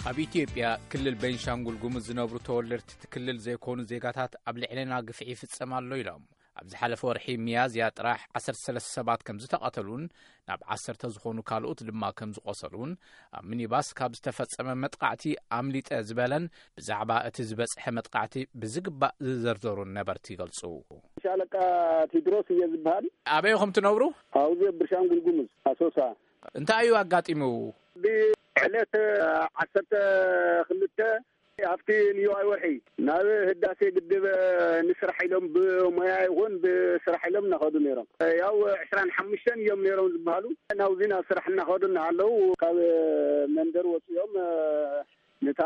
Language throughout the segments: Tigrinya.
ኣብ ኢትዮጵያ ክልል ቤንሻንጉል ጉሙዝ ዝነብሩ ተወለድቲ እቲ ክልል ዘይኮኑ ዜጋታት ኣብ ልዕሌና ግፍዒ ይፍጸም ኣሎ ኢሎም። ኣብ ዝሓለፈ ወርሒ ሚያዝያ ጥራሕ ዓሰርተ ሰለስተ ሰባት ከም ዝተቐተሉን ናብ ዓሰርተ ዝኾኑ ካልኦት ድማ ከም ዝቖሰሉን፣ ኣብ ሚኒባስ ካብ ዝተፈጸመ መጥቃዕቲ ኣምሊጠ ዝበለን ብዛዕባ እቲ ዝበጽሐ መጥቃዕቲ ብዝግባእ ዝዘርዘሩን ነበርቲ ይገልጹ። ሻለቃ ቴድሮስ እየ ዝበሃል። ኣበይ ኢኹም ትነብሩ? ኣብዚ ኣብ ብርሻንጉል ጉሙዝ ኣሶሳ። እንታይ እዩ ኣጋጢሙ? ብዕለት ዓሰርተ ክልተ ኣብቲ ንዮዋይ ወርሒ ናብ ህዳሴ ግድብ ንስራሕ ኢሎም ብሞያ ይኹን ብስራሕ ኢሎም እናኸዱ ነይሮም። ያው ዕስራን ሓሙሽተን እዮም ነይሮም ዝበሃሉ። ናብዚ ናብ ስራሕ እናኸዱ እናሃለዉ ካብ መንደር ወፂኦም ነታ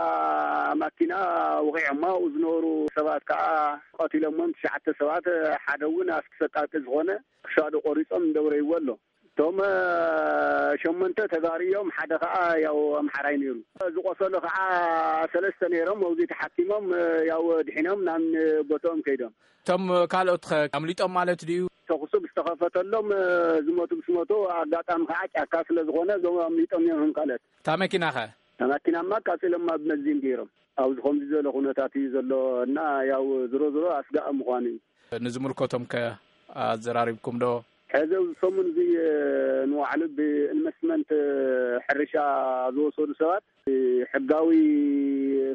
ማኪና ወቒዖማ። ኣብኡ ዝነበሩ ሰባት ከዓ ቀቲሎሞም ትሽዓተ ሰባት፣ ሓደ እውን ኣስክሰቃቂ ዝኾነ ክሳዱ ቆሪፆም እንደውረይዎ ኣሎ። እቶም ሸሞንተ ተጋሩ እዮም፣ ሓደ ከዓ ያው ኣምሓራይ ነይሩ። ዝቆሰሉ ከዓ ሰለስተ ነይሮም፣ ኣብዚ ተሓኪሞም ያው ድሒኖም ናብ ቦትኦም ከይዶም። እቶም ካልኦት ከ ኣምሊጦም ማለት ድዩ? ተኩሱ ብዝተኸፈተሎም ዝሞቱ ምስ ሞቱ፣ ኣጋጣሚ ከዓ ጫካ ስለ ዝኾነ እዞም ኣምሊጦም እዮም። ካልኦት እታ መኪና ከ? እታ መኪናማ ኣቃፂሎማ ብመንዚን ገይሮም። ኣብዚ ከምዚ ዝበለ ኩነታት እዩ ዘሎ እና ያው ዝሮ ዝሮ ኣስጋእ ምዃኑ እዩ። ንዝምልከቶም ከ ኣዘራሪብኩም ዶ? ሕዚ ኣብዚ ሰሙን እዚ ንባዕሉ ብኢንቨስትመንት ሕርሻ ዝወሰዱ ሰባት ሕጋዊ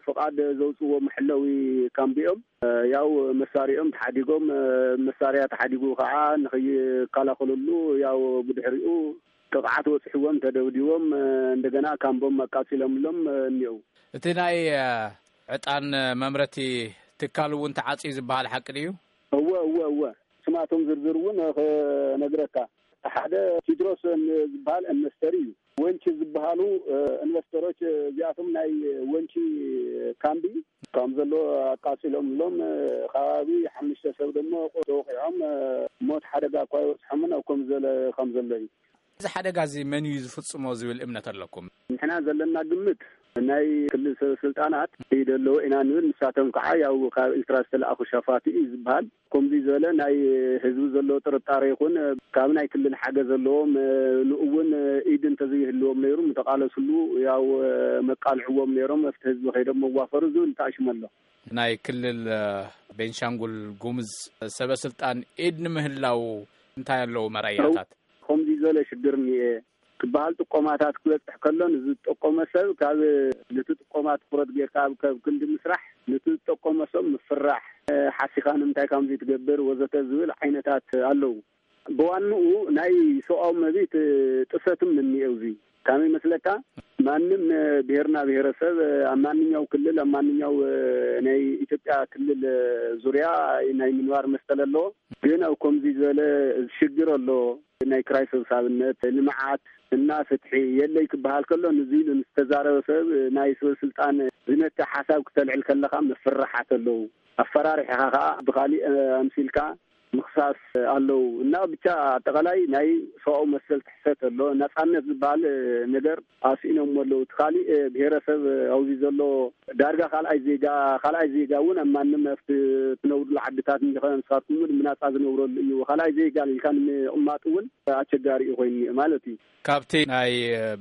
ፍቓድ ዘውፅዎ መሐለዊ ካምቢኦም ያው መሳሪኦም ተሓዲጎም፣ መሳሪያ ተሓዲጉ ከዓ ንኽይከላኸለሉ ያው ብድሕሪኡ ጥቕዓት በፅሕዎም፣ ተደብዲቦም፣ እንደገና ካምቦም ኣቃፂሎምሎም እኒአው። እቲ ናይ ዕጣን መምረቲ ትካል እውን ተዓፅዩ ዝበሃል ሓቂ ድዩ? እወ፣ እወ፣ እወ። ስማቶም ዝርዝር እውን ክነግረካ። ሓደ ቴድሮስ ዝበሃል ኢንቨስተር እዩ። ወንጪ ዝበሃሉ ኢንቨስተሮች፣ እዚኣቶም ናይ ወንጪ ካምቢ ከም ዘሎ ኣቃፂሎምሎም፣ ከባቢ ሓሙሽተ ሰብ ደሞ ተወቂዖም፣ ሞት ሓደጋ እኳ ይበፅሖምን ኣብ ከም ዘለ ከም ዘሎ እዩ። እዚ ሓደጋ እዚ መን እዩ ዝፍጽሞ ዝብል እምነት ኣለኩም? ንሕና ዘለና ግምት ናይ ክልል ሰበ ስልጣናት ይደለዎ ኢና ንብል። ንሳቶም ከዓ ያው ካብ ኤርትራ ዝተለኣኹ ሸፋቱ እዩ ዝበሃል። ከምዚ ዝበለ ናይ ህዝቢ ዘለዎ ጥርጣሬ ይኹን ካብ ናይ ክልል ሓገዝ ዘለዎም ንእውን ኢድ እንተዘይህልዎም ነይሩ ምተቃለስሉ ያው መቃልዕዎም ነይሮም፣ ኣብቲ ህዝቢ ከይዶም መዋፈሩ ዝብል ተኣሽሙ ኣሎ። ናይ ክልል ቤንሻንጉል ጉሙዝ ሰበ ስልጣን ኢድ ንምህላው እንታይ ኣለዉ መረኣያታት? ከምዚ ዝበለ ሽግር እኒኤ ክበሃል ጥቆማታት ክበፅሕ ከሎ፣ ንዝጠቆመ ሰብ ካብ ነቲ ጥቆማ ትኩረት ጌርካ ኣብ ካብ ክንዲ ምስራሕ፣ ነቲ ዝጠቆመ ሰብ ምፍራሕ፣ ሓሲኻ ንምንታይ ከምዚ ትገብር ወዘተ ዝብል ዓይነታት ኣለዉ። ብዋንኡ ናይ ሰብኣዊ መብት ጥሰትም እኒኤው። እዚ ካመይ መስለካ? ማንም ብሄርና ብሄረሰብ ኣብ ማንኛው ክልል፣ ኣብ ማንኛው ናይ ኢትዮጵያ ክልል ዙሪያ ናይ ምንባር መሰል ኣለዎ። ግን ኣብ ከምዚ ዝበለ ሽግር ኣሎ፣ ናይ ክራይ ሰብሳብነት፣ ልምዓት እና ፍትሒ የለይ ክበሃል ከሎ፣ ንዚ ኢሉ ንዝተዛረበ ሰብ ናይ ስበ ስልጣን ዝነተ ሓሳብ ክተልዕል ከለኻ መፍርሓት ኣለዉ። ኣፈራሪሕኻ ከዓ ብኻሊእ ኣምሲልካ ምኽሳስ ኣለዉ እና ብቻ ኣጠቓላይ ናይ ሰብኣዊ መሰል ጥሕሰት ኣሎ። ናፃነት ዝበሃል ነገር ኣስኢኖም ኣለዉ። እቲ ካሊእ ብሄረሰብ ኣብዚ ዘሎ ዳርጋ ካልኣይ ዜጋ፣ ካልኣይ ዜጋ እውን ኣብ ማንም ኣብቲ ትነብሩሉ ዓድታት እንዲኸ ንስኻትኩም እውን ብናፃ ዝነብረሉ እዩ። ካልኣይ ዜጋ ኢልካ ንምቕማጥ እውን ኣቸጋሪ እዩ ኮይኑ ማለት እዩ። ካብቲ ናይ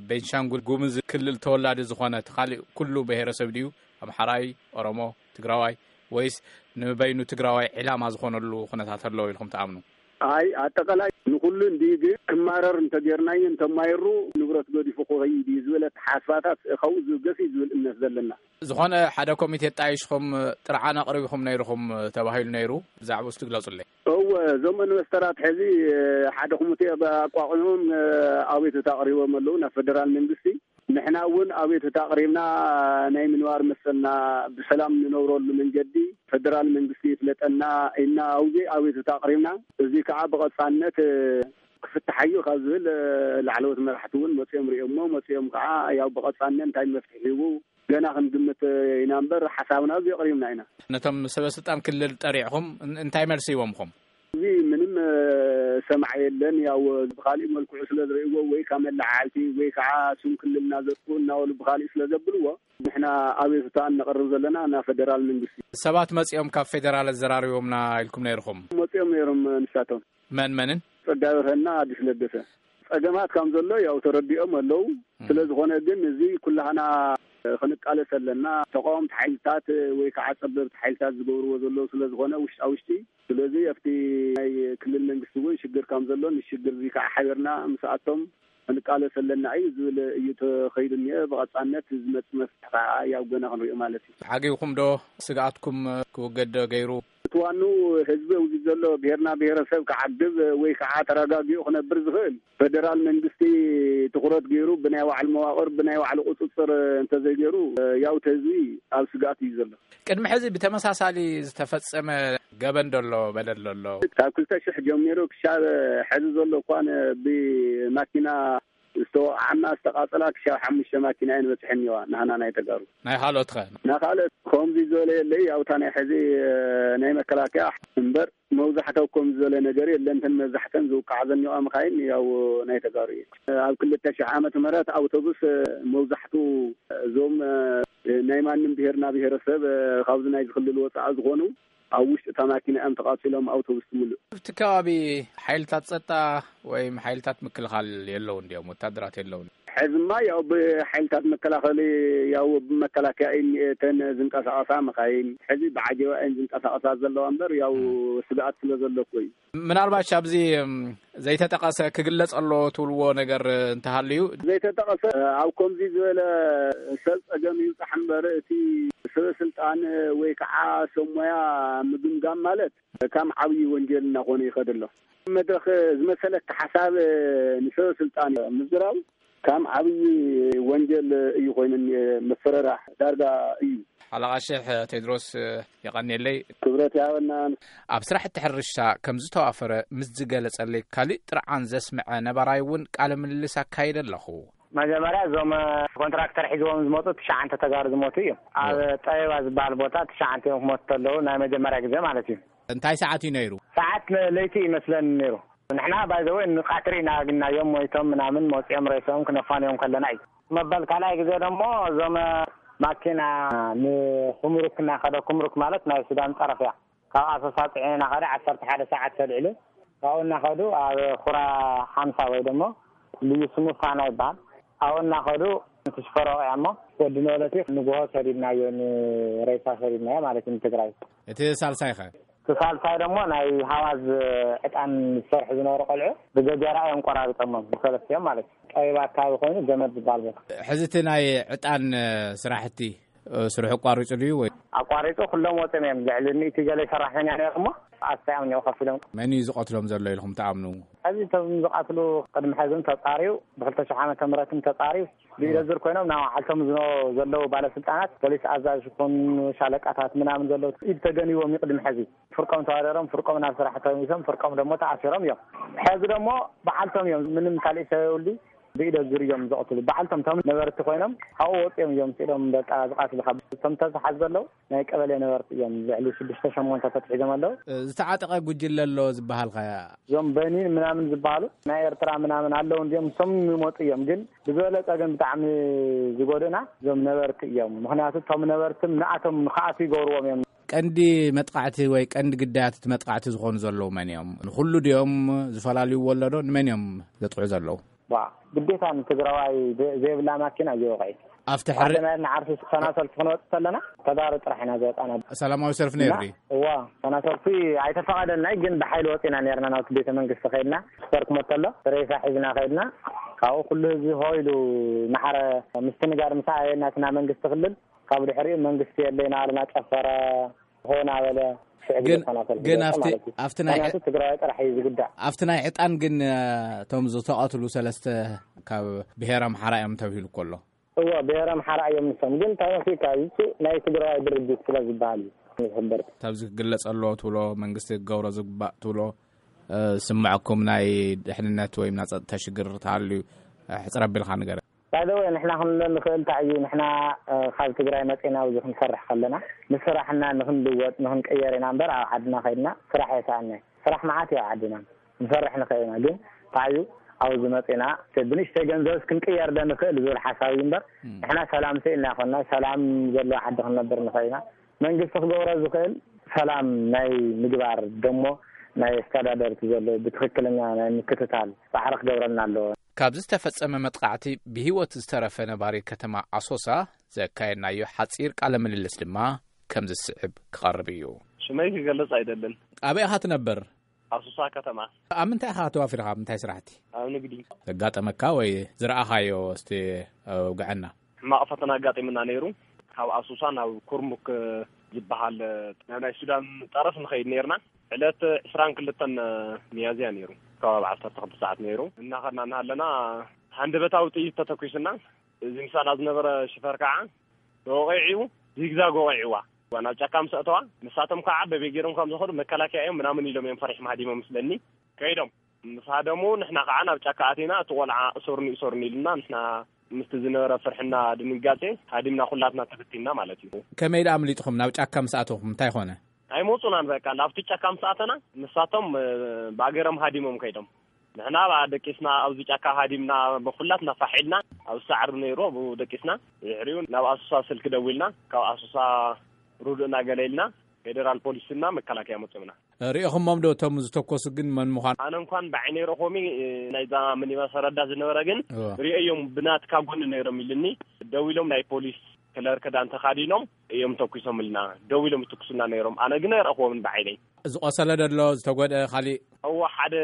ቤንሻንጉል ጉሙዝ ክልል ተወላዲ ዝኾነ እቲ ካሊእ ኩሉ ብሄረሰብ ድዩ? ኣምሓራይ፣ ኦሮሞ፣ ትግራዋይ ወይስ ንበይኑ ትግራዋይ ዕላማ ዝኾነሉ ኩነታት ኣለዎ ኢልኩም ትኣምኑ? ኣይ ኣጠቃላይ ንኩሉ እንዲ ግን ክማረር እንተጌርናዮ እንተማይሩ ንብረት ገዲፉ ክኸይድ እዩ ዝብል ኣተሓሳስባታት ካብኡ ዝብገስ እዩ ዝብል እምነት ዘለና። ዝኾነ ሓደ ኮሚቴ ጣይሽኹም ጥርዓን ኣቕሪብኹም ነይርኹም ተባሂሉ ነይሩ፣ ብዛዕባኡ እስቲ ግለጹለይ። እወ፣ እዞም ኢንቨስተራት ሕዚ ሓደ ኮሚቴ ኣቋቑሞም ኣቤቱታ ኣቕሪቦም ኣለዉ ናብ ፌደራል መንግስቲ። ንሕና እውን ኣቤቱታ ኣቕሪብና ናይ ምንባር መሰልና ብሰላም ንነብረሉ መንገዲ ፌደራል መንግስቲ ይፍለጠና ኢልና ኣብዚ ኣቤቱታ ኣቕሪብና። እዚ ከዓ ብቐፃልነት ክፍትሓዩ ካብ ዝብል ላዕለዎት መራሕቲ እውን መፅኦም ሪኦሞ መፅኦም ከዓ ያው ብቐፃልነት እንታይ መፍትሒ ሂቡ ገና ክንግምት ኢና እምበር ሓሳብና እዚ ኣቕሪብና ኢና። ነቶም ሰበ ስልጣን ክልል ጠሪዕኹም እን- እንታይ መልሲ ሂቦምኹም? እዚ ምንም ሰማዕ የለን። ያው ብካሊእ መልክዑ ስለ ዝርእይዎ ወይ ካብ መለዓዓልቲ ወይ ከዓ ስም ክልልና ዘጥፉ እናበሉ ብካሊእ ስለ ዘብልዎ ንሕና ኣቤቱታ እነቕርብ ዘለና ናብ ፌደራል መንግስቲ። ሰባት መፂኦም ካብ ፌደራል ኣዘራሪቦምና ኢልኩም ነይርኹም? መፂኦም ነይሮም ንሳቶም። መን መንን? ጸጋብርሀና ኣዲስ ለገሰ። ጸገማት ከም ዘሎ ያው ተረዲኦም ኣለዉ። ስለ ዝኾነ ግን እዚ ኩላህና ክንቃለስ ኣለና። ተቃወምቲ ሓይልታት ወይ ከዓ ጸበብቲ ሓይልታት ዝገብርዎ ዘለዉ ስለ ዝኾነ ውሽጣ ውሽጢ። ስለዚ ኣብቲ ናይ ክልል መንግስቲ እውን ሽግር ከም ዘሎ፣ ንሽግር እዚ ከዓ ሓቢርና ምስኣቶም ክንቃለስ ኣለና እዩ ዝብል እዩ ተኸይዱ እኒአ። ብቐጻነት ዝመጽእ መፍትሒ ከዓ ያው ገና ክንሪኦ ማለት እዩ። ዓጊብኩም ዶ? ስግኣትኩም ክውገድ ዶ ገይሩ? እቲ ዋኑ ህዝቢ ኣብዚ ዘሎ ብሄርና ብሄረሰብ ክዓግብ ወይ ከዓ ተረጋጊኡ ክነብር ዝኽእል፣ ፌደራል መንግስቲ ትኹረት ገይሩ ብናይ ባዕሉ መዋቕር፣ ብናይ ባዕሉ ቁፅፅር እንተዘይገይሩ፣ ያው እቲ ህዝቢ ኣብ ስግኣት እዩ ዘሎ። ቅድሚ ሕዚ ብተመሳሳሊ ዝተፈጸመ ገበን ዶ ኣሎ፣ በደል ዶ ኣሎ? ካብ ክልተ ሽሕ ጀሚሩ ክሻብ ሕዚ ዘሎ እኳ ብማኪና ዝተወቕዓና ዝተቓጸላ ክሻብ ሓሙሽተ ማኪና እየን በጺሐን እኒዋ፣ ናህና ናይ ተጋሩ። ናይ ካልኦት ኸ? ናይ ካልኦት ከምዚ ዝበለ የለይ። ኣብታ ናይ ሕዚ ናይ መከላከያ እምበር መብዛሕትኡ ከምዚ ዝበለ ነገር የለን። እተን መብዛሕተን ዝውቃዓ ዘኒዋ መኻይን ያው ናይ ተጋሩ እየን። ኣብ ክልተ ሽሕ ዓመተ ምህረት ኣውቶቡስ መብዛሕትኡ እዞም ናይ ማንም ብሄርና ብሄረሰብ ካብዚ ናይ ክልል ወፃኢ ዝኾኑ ኣብ ውሽጢ እታ ማኪና እዮም ተቓፂሎም፣ ኣውቶቡስ ትምልእ። ኣብቲ ከባቢ ሓይልታት ጸጥታ ወይ ሓይልታት ምክልኻል የለውን ድዮም? ወታደራት የለውን? ሕዝማ ያው ብሓይልታት መከላኸሊ ያው ብመከላከያ እየን እተን ዝንቀሳቐሳ መኻይን። ሕዚ ብዓጀባ እየን ዝንቀሳቐሳ ዘለዋ እምበር ያው ስግኣት ስለ ዘሎ እኮ እዩ። ምናልባት ኣብዚ እም፣ ዘይተጠቐሰ ክግለጽ ኣለዎ ትብልዎ ነገር እንተሃልዩ? ዘይተጠቐሰ ኣብ ከምዚ ዝበለ ሰብ ጸገም ይብጻሕ እምበር እቲ ሰበ ስልጣን ወይ ከዓ ሰብ ሞያ ምግምጋም ማለት ከም ዓብዪ ወንጀል እናኾነ ይኸድ ኣሎ። መድረኽ ዝመሰለካ ሓሳብ ንሰበ ስልጣን ምዝራብ ከም ዓብዪ ወንጀል እዩ ኮይኑ እኒአ። መፈረራሕ ዳርጋ እዩ። ሓለቓ ሽሕ ቴድሮስ የቐንየለይ። ክብረት ይሃበና። ኣብ ስራሕቲ ሕርሻ ከም ዝተዋፈረ ምስ ዝገለጸለይ ካልእ ጥርዓን ዘስምዐ ነባራይ እውን ቃለ ምልልስ ኣካይደ ኣለኹ። መጀመርያ እዞም ኮንትራክተር ሒዝዎም ዝመፁ ትሽዓንተ ተጋሩ ዝሞቱ እዩ። ኣብ ጠበባ ዝበሃል ቦታ ትሽዓንተ እዮም ክሞቱ ከለዉ ናይ መጀመርያ ግዜ ማለት እዩ። እንታይ ሰዓት እዩ ነይሩ? ሰዓት ለይቲ ይመስለኒ ነይሩ። ንሕና ባይዘወይ ንቃትሪ ኢና ግናዮም ሞይቶም ምናምን መፂኦም ሬሶም ክነፋንዮም ከለና እዩ። መበል ካልኣይ ግዜ ደሞ እዞም ማኪና ንኩምሩክ እናኸደ፣ ኩምሩክ ማለት ናይ ሱዳን ጠረፍ እያ። ካብ ኣሶሳ ፅዒኑ እናኸደ ዓሰርተ ሓደ ሰዓት ተልዒሉ ካብኡ እናኸዱ ኣብ ኩራ ሓምሳ ወይ ደሞ ልዩ ስሙ ፋና ይበሃል። ኣብኡ እናኸዱ እቲ ሽፈር ወቂዖሞ ወዲ ነበለት እዩ። ንግሆ ሰዲድናዮ፣ ንሬሳ ሰዲድናዮ ማለት እዩ ንትግራይ። እቲ ሳልሳይ ኸ? እቲ ሳልሳይ ደሞ ናይ ሃዋዝ ዕጣን ዝሰርሑ ዝነበሩ ቆልዑ ብገጀራ እዮም ቆራሪጦሞም፣ ብሰለስቲኦም ማለት እዩ። ጠቢብ ኣካባቢ ኮይኑ ገመድ ዝበሃል ቦታ። ሕዚ እቲ ናይ ዕጣን ስራሕቲ ስርሑ ኣቋሪጹ ድዩ ወይ? ኣቋሪጹ፣ ኩሎም ወጺኦም እዮም። ልዕሊ ሚእቲ ገለ ሰራሕተኛ ነይሮሞ ኣስጢዖም እኒኦ ከፊሎም። መን እዩ ዝቐትሎም ዘሎ ኢልኩም ትኣምኑ? ሕዚ እቶም ዝቐትሉ ቅድሚ ሕዝን ተጻርዩ፣ ብክልተ ሽሕ ዓመተ ምህረትን ተጻርዩ፣ ብኢደ ዙር ኮይኖም ናብ ዓልቶም ዝነ-፣ ዘለዉ ባለስልጣናት፣ ፖሊስ ኣዛዥ ይኹን ሻለቃታት ምናምን ዘለዉ ኢድ ተገኒዎም እዩ ቅድሚ ሕዚ። ፍርቆም ተዋደሮም፣ ፍርቆም ናብ ስራሕ ተመሊሶም፣ ፍርቆም ደሞ ተኣሲሮም እዮም። ሕዚ ደሞ ብዓልቶም እዮም፣ ምንም ካልእ ሰብ የብሉ። ብኢደ ዙር እዮም ዝቐትሉ። በዓልቶም እቶም ነበርቲ ኮይኖም ካብኡ ወፂኦም እዮም ስኢዶም በቃ ዝቐትሉ። ካብ እቶም ተታሓዙ ዘለዉ ናይ ቀበሌ ነበርቲ እዮም። ልዕሊ ሽዱሽተ ሸሞንተ ተትሒዞም ኣለዉ። ዝተዓጠቐ ጉጅለ ኣሎ ዝበሃል ኸ? እዞም በኒን ምናምን ዝበሃሉ ናይ ኤርትራ ምናምን ኣለዉ እንዲዮም፣ እሶም ይመፁ እዮም። ግን ብዝበለፀ ግን ብጣዕሚ ዝጎድእና እዞም ነበርቲ እዮም። ምኽንያቱ እቶም ነበርቲ ንኣቶም ንኽኣትዉ ይገብርዎም እዮም። ቀንዲ መጥቃዕቲ ወይ ቀንዲ ግዳያት እቲ መጥቃዕቲ ዝኾኑ ዘለዉ መን እዮም? ንኹሉ ድዮም ዝፈላልይዎ ኣሎ ዶ? ንመን እዮም ዘጥቅዑ ዘለዉ? ዋ፣ ግዴታ ንትግራዋይ ዘ-፣ ዘይብላ ማኪና እዩ ወቕዒ። ኣብቲ ሕሪ- ሓደ ናይ ንዓርሲ ሰላማዊ ሰልፊ ክንወጽእ ከለና ተጋሩ ጥራሕ ኢና ዝወጣና። ሰላማዊ ሰልፊ ነይሩ እና ድዩ? እዋ፣ ሰላማዊ ሰልፊ ኣይተፈቐደልናይ፣ ግን ብሓይሊ ወፂና ነርና። ናብቲ ቤተ መንግስቲ ከይድና፣ ስፖርት መተሎ ሬሳ ሒዝና ከይድና፣ ካብኡ ኩሉ ህዝቢ ሆ ኢሉ ማሕረ ምስትንጋር ምስ ኣየና እቲ ናይ መንግስቲ ክልል፣ ካብ ድሕሪኡ መንግስቲ የለ እናበለና ጨፈረ፣ ሆ እናበለ ሽዕ ግዜ ግን፣ ተናፈልኩ ግን ኣብቲ፣ ማለት እዩ። ኣብቲ ናይ ምክንያቱ ትግራዋይ ጥራሕ እዩ ዝጉዳእ። ኣብቲ ናይ ዕጣን ግን፣ እቶም ዝተቐትሉ ሰለስተ ካብ ብሄር ኣምሓራ እዮም ተብሂሉ እኮ ኣሎ። እወ፣ ብሄር ኣምሓራ እዮም ንሶም። ግን እንታይ መሲልካ፣ እዚ ናይ ትግራዋይ ድርጅት ስለ ዝበሃል እዩ ዝሕበር። ካብዚ ክግለጽ ኣለዎ ትብሎ፣ መንግስቲ ክገብሮ ዝግባእ ትብሎ፣ እ፣ ዝስምዐኩም ናይ ድሕንነት ወይ ናይ ጸጥታ ሽግር ተሃልዩ፣ እ፣ ሕጽር ኣቢልካ ንገረኒ። ባይ ዘ ወይ፣ ንሕና ክንብሎ ንኽእል እንታይ እዩ፣ ንሕና፣ እ፣ ካብ ትግራይ መጺና ኣብዚ ክንሰርሕ ከለና፣ ንስራሕና ንኽንልወጥ፣ ንኽንቅየር ኢና እምበር፣ ኣብ ዓድና ከይድና ስራሕ የሰኣና እዩ። ስራሕ መዓት እዩ ኣብ ዓድና። ክንሰርሕ ንኽእል ኢና፣ ግን እንታይ እዩ፣ ኣብዚ መጺና፣ ብንእሽተይ ገንዘብስ ክንቅየር ዶ ንኽእል ዝብል ሓሳብ እዩ እምበር፣ እም። ንሕና ሰላም ስኢልና ኣይኮንና፣ ሰላም ዘለዎ ዓዲ ክንነብር ንኽእል ኢና። መንግስቲ ክገብሮ ዝኽእል ሰላም ናይ ምግባር ደሞ ናይ ኣስተዳደርቲ ዘሎ ብትኽክለኛ ናይ ምክትታል ጻዕሪ ክገብረልና ኣለዎ። ካብ ዝተፈጸመ መጥቃዕቲ ብህይወት ዝተረፈ ነባሪ ከተማ ኣሶሳ ዘካየድናዮ ሓጺር ቃለ ምልልስ ድማ ከም ዝስዕብ ክቐርብ እዩ። ሽመይ ክገልጽ ኣይደልን። ኣበይ ኢኻ ትነብር? ኣሱሳ ከተማ። ኣብ ምንታይ ኢኻ ተዋፊርካ? ኣብ ምንታይ ስራሕቲ? ኣብ ንግዲ። ዘጋጠመካ ወይ ዝረኣኻዮ እስቲ ኣውግዐና። ሕማቕ ፈተና ኣጋጢምና ነይሩ። ካብ ኣሱሳ ናብ ኩርሙክ ዝበሃል ናብ ናይ ሱዳን ጠረፍ ንኸይድ ነይርና። ዕለት ዕስራን ክልተን ሚያዝያ ነይሩ። ከባቢ ዓሰርተ ክልተ ሰዓት ነይሩ። እናኸድና እናሃለና ሃንደበታዊ ጥይት ተተኲስና። እዚ ምሳና ዝነበረ ሽፈር ከዓ ወቒዕዩ፣ ዚግዛግ ወቒዕዋ። ናብ ጫካ ምስ ኣተዋ፣ ንሳቶም ከዓ በበይ ገይሮም ከም ዝኸዱ መከላከያ እዮም ምናምን ኢሎም እዮም ፈሪሖም ሃዲሞም መስለኒ። ከይዶም ምስ ሃደሙ፣ ንሕና ከዓ ናብ ጫካ ኣቲና፣ እቲ ቆልዓ እሰሩኒ፣ እሰሩኒ ኢሉና፣ ንሕና ምስቲ ዝነበረ ፍርሕና ድንጋጼ ሃዲምና ኩላትና ተበቲንና ማለት እዩ። ከመይ ደኣ ኣምሊጥኹም? ናብ ጫካ ምስ ኣተኹም እንታይ ኾነ? ኣይመጹናን በቃ። ናብቲ ጫካ ምስ ኣተና፣ ንሳቶም፣ እ፣ ብኣገሮም ሃዲሞም ከይዶም። ንሕና ብኣ ደቂስና፣ ኣብዚ ጫካ ሃዲምና፣ ብኹላትና ፋሕ ኢልና፣ ኣብ ሳዕሪ ነይሩ፣ ኣብኡ ደቂስና። ድሕሪኡ ናብ ኣሶሳ ስልኪ ደዊልና፣ ካብ ኣሶሳ ርዱእና ገለ ኢልና፣ ፌደራል ፖሊስና መከላከያ መጾምና። ርኢኹሞም ዶ እቶም ዝተኮሱ ግን መን ምዃን? ኣነ እንኳን ብዓይነይ ረኾሚ፣ እ፣ ናይዛ ሚኒባስ ረዳት ዝነበረ ግን እወ። ርእዮም ብናትካ ጎኒ ነይሮም ኢልኒ። ደው ኢሎም ናይ ፖሊስ ከለር ክዳን ተኻዲኖም እዮም ተኩሶምልና። ደው ኢሎም ይትኩሱልና ነይሮም። ኣነ ግን ኣይረእኽዎምን ብዓይነይ። ዝቆሰለ ደሎ፣ ዝተጎድአ ካሊእ? እወ፣ ሓደ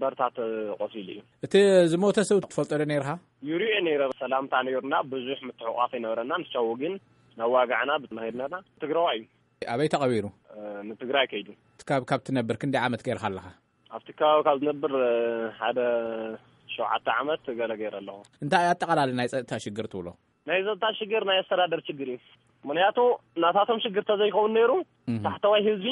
በርታ ተቆሲሉ እዩ። እቲ ዝሞተ ሰብ ትፈልጦ ዶ ነይርኻ? ይሪኦ ነይረ። ሰላምታ ነይሩና፣ ብዙሕ ምትሕቋፍ ይነበረና። ንሻው ግን ናዋጋዕና ብትናሄድና ትግራዋ እዩ። ኣበይ ተቐቢሩ? እ፣ ንትግራይ ከይዱ። ካብ፣ ካብ ትነብር ክንደይ ዓመት ገይርካ ኣለኻ? ኣብቲ ከባቢ ካብ ዝነብር፣ እ፣ ሓደ ሸውዓተ ዓመት ገለ ገይረ ኣለኹ። እንታይ ኣጠቓላሊ ናይ ጸጥታ ሽግር ትብሎ? ናይ ጸጥታ ሽግር ናይ ኣስተዳደር ሽግር እዩ። ምኽንያቱ ናታቶም ሽግር ተዘይኸውን ነይሩ፣ እህ። ታሕተዋይ ህዝቢ፣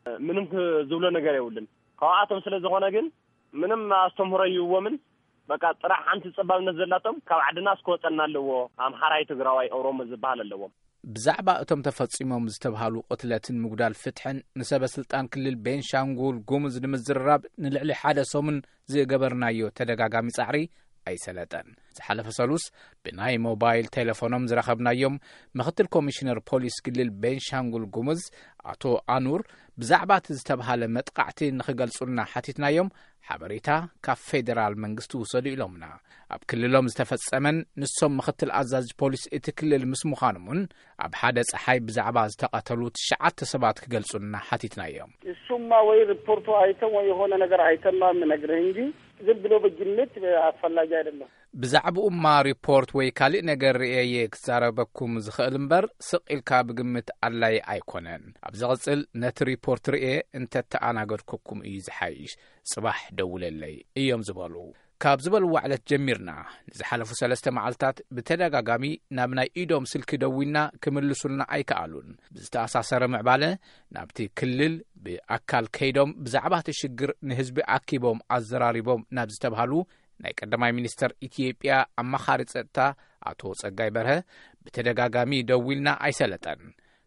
እ፣ ምንም ክ-፣ ዝብሎ ነገር የብሉን። ካብኣቶም ስለ ዝኾነ ግን ምንም ኣስተምህሮ ይህቦምን። በቃ ጥራሕ ሓንቲ ጸባብነት ዘላቶም ካብ ዓድና እስክወጸና ኣለዎ። ኣምሓራይ፣ ትግራዋይ፣ ኦሮሞ ዝበሃል ኣለዎም። ብዛዕባ እቶም ተፈጺሞም ዝተብሃሉ ቅትለትን ምጉዳል ፍትሕን ንሰበ ስልጣን ክልል ቤንሻንጉል ጉሙዝ ንምዝርራብ ንልዕሊ ሓደ ሰሙን ዝገበርናዮ ተደጋጋሚ ጻዕሪ ኣይሰለጠን። ዝሓለፈ ሰሉስ ብናይ ሞባይል ቴሌፎኖም ዝረኸብናዮም ምኽትል ኮሚሽነር ፖሊስ ክልል ቤንሻንጉል ጉሙዝ ኣቶ ኣኑር ብዛዕባ እቲ ዝተብሃለ መጥቃዕቲ ንኽገልጹልና ሓቲትናዮም፣ ሓበሬታ ካብ ፌደራል መንግስቲ ውሰዱ ኢሎምና። ኣብ ክልሎም ዝተፈጸመን ንሶም ምኽትል ኣዛዚ ፖሊስ እቲ ክልል ምስ ምዃኖም እውን ኣብ ሓደ ጸሓይ ብዛዕባ ዝተቐተሉ ትሽዓተ ሰባት ክገልጹልና ሓቲትናዮም። እሱማ ወይ ሪፖርቱ አይተን ወይ የሆነ ነገር አይተን ነው የምነግርህ እንጂ ዝም ብሎ በግምት አስፈላጊ አይደለም። ብዛዕባኡማ ሪፖርት ወይ ካልእ ነገር ርእየ እየ ክዛረበኩም ዝኽእል እምበር፣ ስቕ ኢልካ ብግምት ኣድላዪ ኣይኮነን። ኣብ ዝቕጽል ነቲ ሪፖርት ርእየ እንተተኣናገድኩኩም እዩ ዝሓይሽ። ጽባሕ ደውለለይ እዮም ዝበሉ። ካብ ዝበልዋ ዕለት ጀሚርና ንዝሓለፉ ሰለስተ መዓልታት ብተደጋጋሚ ናብ ናይ ኢዶም ስልኪ ደዊልና ክምልሱልና ኣይከኣሉን። ብዝተኣሳሰረ ምዕባለ ናብቲ ክልል ብኣካል ከይዶም ብዛዕባ እቲ ሽግር ንህዝቢ ኣኪቦም ኣዘራሪቦም ናብ ዝተብሃሉ ናይ ቀዳማይ ሚኒስተር ኢትዮጵያ ኣማኻሪ ጸጥታ ኣቶ ጸጋይ በርሀ ብተደጋጋሚ ደዊልና ኣይሰለጠን።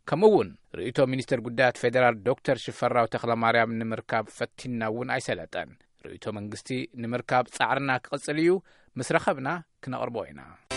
ከምኡ እውን ርእይቶ ሚኒስተር ጉዳያት ፌደራል ዶክተር ሽፈራው ተኽለማርያም ንምርካብ ፈቲንና እውን ኣይሰለጠን። ርእይቶ መንግስቲ ንምርካብ ጻዕርና ክቕጽል እዩ። ምስ ረኸብና ክነቕርቦ ኢና።